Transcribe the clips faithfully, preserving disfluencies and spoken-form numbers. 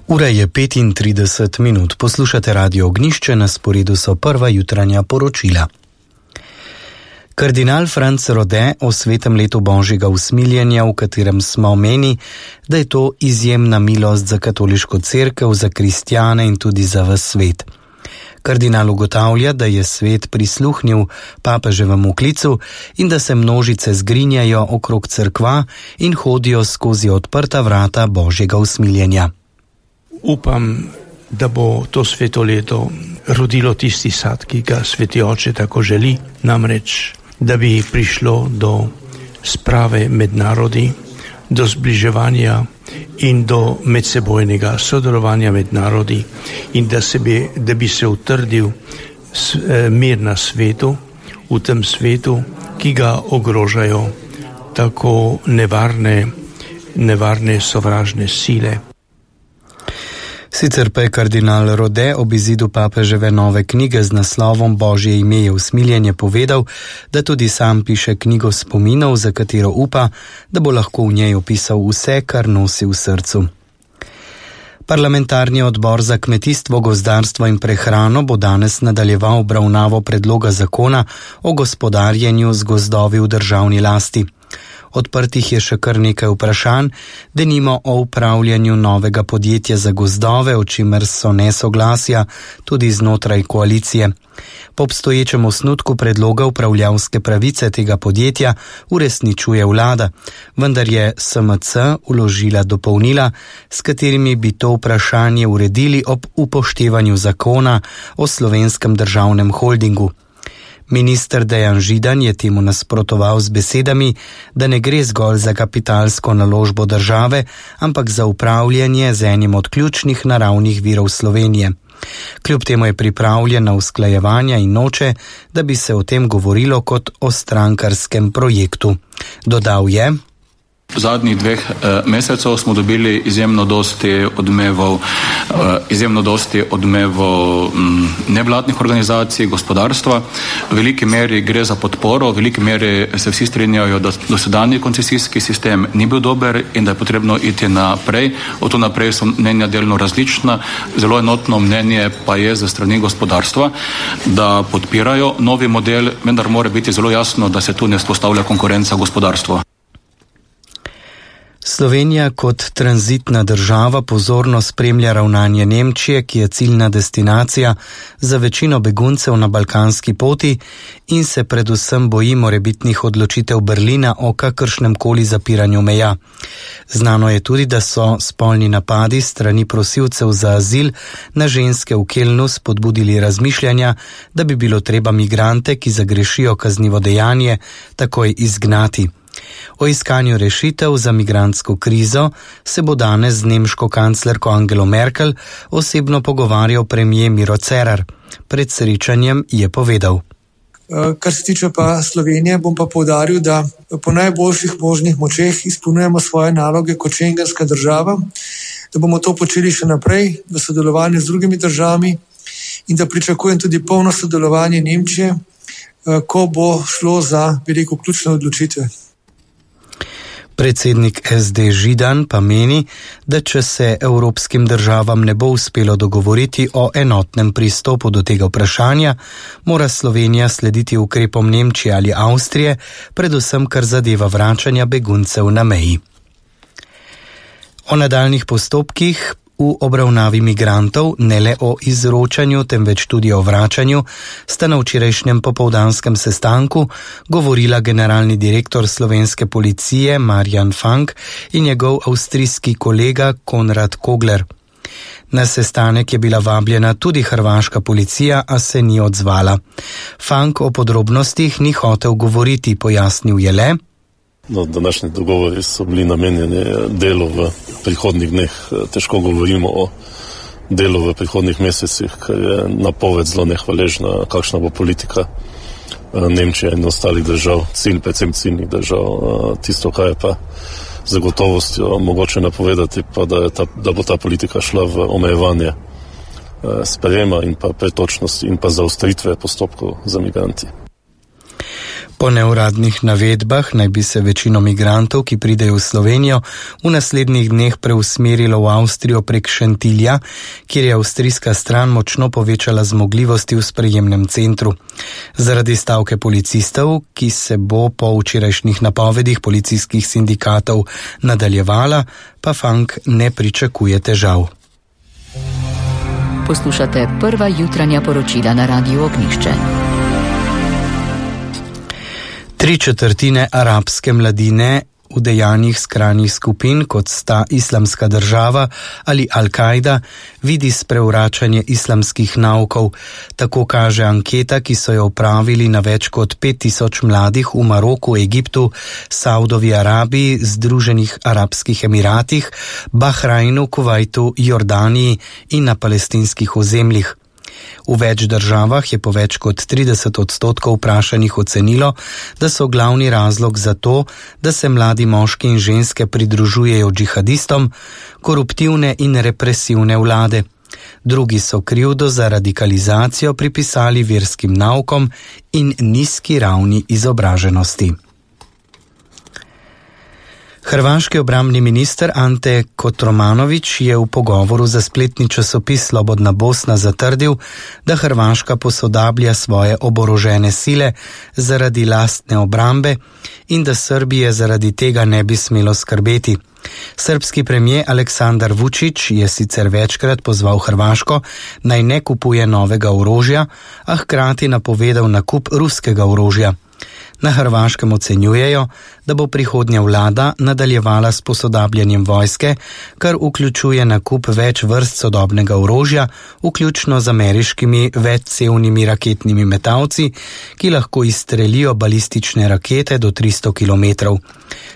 Ura je petintrideset minut, poslušate Radio Ognjišče, na sporedu so prva jutranja poročila. Kardinal Franc Rode o svetem letu Božjega usmiljenja, v katerem smo meni, da je to izjemna milost za katoliško cerkev, za kristjane in tudi za ves svet. Kardinal ugotavlja, da je svet prisluhnil papeževemu klicu in da se množice zgrinjajo okrog cerkva in hodijo skozi odprta vrata Božjega usmiljenja. Upam, da bo to sveto leto rodilo tisti sad, ki ga Sveti Oče tako želi, namreč, da bi prišlo do sprave med narodi, do zbliževanja in do medsebojnega sodelovanja med narodi in da, se bi, da bi se utrdil mir na svetu, v tem svetu, ki ga ogrožajo tako nevarne, nevarne sovražne sile. Sicer pa je kardinal Rode ob izidu papeževe nove knjige z naslovom Božje ime je usmiljenje povedal, da tudi sam piše knjigo spominov, za katero upa, da bo lahko v njej opisal vse, kar nosi v srcu. Parlamentarni odbor za kmetijstvo, gozdarstvo in prehrano bo danes nadaljeval obravnavo predloga zakona o gospodarjenju z gozdovi v državni lasti. Odprtih je še kar nekaj vprašanj, denimo o upravljanju novega podjetja za gozdove, o čimer so nesoglasja tudi znotraj koalicije. Po obstoječem osnutku predloga upravljavske pravice tega podjetja uresničuje vlada, vendar je S M C vložila dopolnila, s katerimi bi to vprašanje uredili ob upoštevanju zakona o Slovenskem državnem holdingu. Minister Dejan Židan je temu nasprotoval z besedami, da ne gre zgolj za kapitalsko naložbo države, ampak za upravljanje z enim od ključnih naravnih virov Slovenije. Kljub temu je pripravljen na usklajevanja in noče, da bi se o tem govorilo kot o strankarskem projektu. Dodal je: V zadnjih dveh eh, mesecev smo dobili izjemno dosti odmevov, eh, izjemno dosti odmevov m, nevladnih organizacij, gospodarstva. V veliki meri gre za podporo, v veliki meri se vsi strinjajo, da dosedanji koncesijski sistem ni bil dober in da je potrebno iti naprej. Od tu naprej so mnenja delno različna. Zelo enotno mnenje pa je za strani gospodarstva, da podpirajo novi model, vendar mora biti zelo jasno, da se tu ne vzpostavlja konkurenca gospodarstva. Slovenija kot tranzitna država pozorno spremlja ravnanje Nemčije, ki je ciljna destinacija za večino beguncev na balkanski poti in se predvsem boji morebitnih odločitev Berlina o kakršnem koli zapiranju meja. Znano je tudi, da so spolni napadi strani prosilcev za azil na ženske v Kelnu spodbudili razmišljanja, da bi bilo treba migrante, ki zagrešijo kaznivo dejanje, takoj izgnati. O iskanju rešitev za migrantsko krizo se bo danes z nemško kanclerko Angelo Merkel osebno pogovarjal premier Miro Cerar. Pred srečanjem je povedal: Kar se tiče pa Slovenije, bom pa poudaril, da po najboljših možnih močeh izpolnjujemo svoje naloge kot šengenska država, da bomo to počeli še naprej v sodelovanju z drugimi državami in da pričakujem tudi polno sodelovanje Nemčije, ko bo šlo za veliko ključne odločitve. Predsednik S D Židan pa meni, da če se evropskim državam ne bo uspelo dogovoriti o enotnem pristopu do tega vprašanja, mora Slovenija slediti ukrepom Nemčije ali Avstrije, predvsem kar zadeva vračanja beguncev na meji. O nadaljnih postopkih v obravnavi migrantov, ne le o izročanju, temveč tudi o vračanju, sta na včerajšnjem popoldanskem sestanku govorila generalni direktor slovenske policije Marjan Fank in njegov avstrijski kolega Konrad Kogler. Na sestanek je bila vabljena tudi hrvaška policija, a se ni odzvala. Fank o podrobnostih ni hotel govoriti, pojasnil je le: No, današnji dogovori so bili namenjeni delu v prihodnih dneh. Težko govorimo o delu v prihodnih mesecih, ker je napoved zelo nehvaležna, kakšna bo politika Nemčije in ostalih držav, cilj, predvsem ciljnih držav. Tisto, kaj je pa z gotovostjo mogoče napovedati, pa da, je ta, da bo ta politika šla v omejevanje sprejema in pa pretočnosti in pa zaostritve postopkov za migranti. Po neuradnih navedbah naj bi se večino migrantov, ki pridejo v Slovenijo, v naslednjih dneh preusmerilo v Avstrijo prek Šentilja, kjer je avstrijska stran močno povečala zmogljivosti v sprejemnem centru. Zaradi stavke policistov, ki se bo po včerajšnjih napovedih policijskih sindikatov nadaljevala, pa Funk ne pričakuje težav. Poslušate prva jutranja poročila na Radiu Ognjišče. Tri četrtine arabske mladine v dejanjih skrajnih skupin, kot sta Islamska država ali Al-Kaida, vidi sprevračanje islamskih naukov. Tako kaže anketa, ki so jo opravili na več kot pet tisoč mladih v Maroku, Egiptu, Saudovi Arabiji, Združenih arabskih emiratih, Bahrajnu, Kuvajtu, Jordaniji in na palestinskih ozemljih. V več državah je po več kot trideset odstotkov vprašanih ocenilo, da so glavni razlog za to, da se mladi moški in ženske pridružujejo džihadistom, koruptivne in represivne vlade. Drugi so krivdo za radikalizacijo pripisali verskim naukom in nizki ravni izobraženosti. Hrvaški obrambni minister Ante Kotromanović je v pogovoru za spletni časopis Slobodna Bosna zatrdil, da Hrvaška posodablja svoje oborožene sile zaradi lastne obrambe in da Srbije zaradi tega ne bi smelo skrbeti. Srbski premijer Aleksandar Vučić je sicer večkrat pozval Hrvaško, naj ne kupuje novega orožja, a hkrati napovedal nakup ruskega orožja. Na Hrvaškem ocenjujejo, da bo prihodnja vlada nadaljevala s posodabljanjem vojske, kar vključuje nakup več vrst sodobnega orožja, vključno z ameriškimi večcevnimi raketnimi metalci, ki lahko izstrelijo balistične rakete do tristo kilometrov.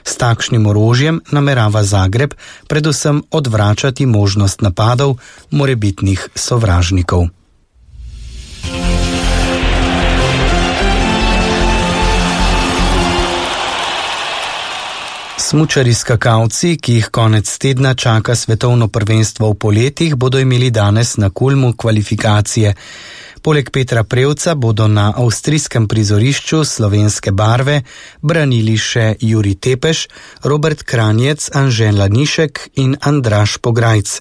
S takšnim orožjem namerava Zagreb predvsem odvračati možnost napadov morebitnih sovražnikov. Smučarji skakalci, ki jih konec tedna čaka svetovno prvenstvo v poletih, bodo imeli danes na Kulmu kvalifikacije. Poleg Petra Prevca bodo na avstrijskem prizorišču slovenske barve branili še Jurij Tepeš, Robert Kranjec, Anže Lanišek in Andraž Pograjc.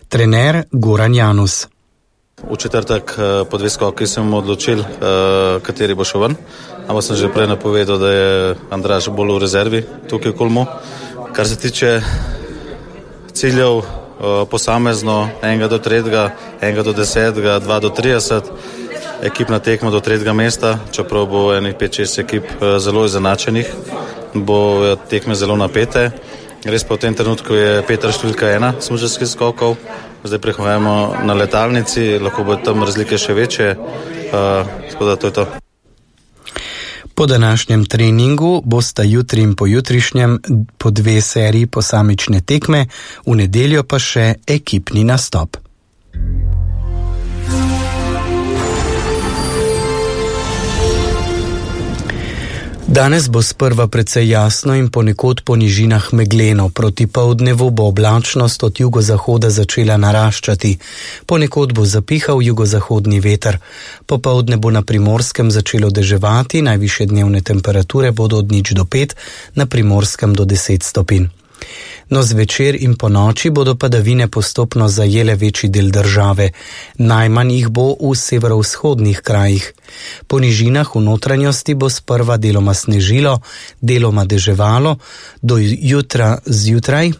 Trener Goran Janus. V četrtek po dve skoki sem odločil, kateri bo šel ven. Ampak sem že prej napovedal, da je Andraž bolj v rezervi tukaj v Kulmu. Kar se tiče ciljev posamezno, enega do tretjega, enega do desetega, dva do trideset, ekipna tekma do tretjega mesta, čeprav bo enih pet šest ekip zelo izenačenih, bo tekme zelo napete. Res pa v tem trenutku je Peter številka ena smučarskih skokov, zdaj prehajamo na letalnici, lahko bo tam razlike še večje, tako da to je to. Po današnjem treningu bosta jutri in pojutrišnjem po dve seriji posamične tekme, v nedeljo pa še ekipni nastop. Danes bo sprva precej jasno in ponekod po nižinah megleno. Proti poldnevu bo oblačnost od jugozahoda začela naraščati. Ponekod bo zapihal jugozahodni veter. Popoldne bo na Primorskem začelo deževati, najvišje dnevne temperature bodo od nič do pet, na Primorskem do deset stopinj. No, zvečer in po noči bodo padavine postopno zajele večji del države. Najmanj jih bo v severovzhodnih krajih. Po nižinah v notranjosti bo sprva deloma snežilo, deloma deževalo, do jutra zjutraj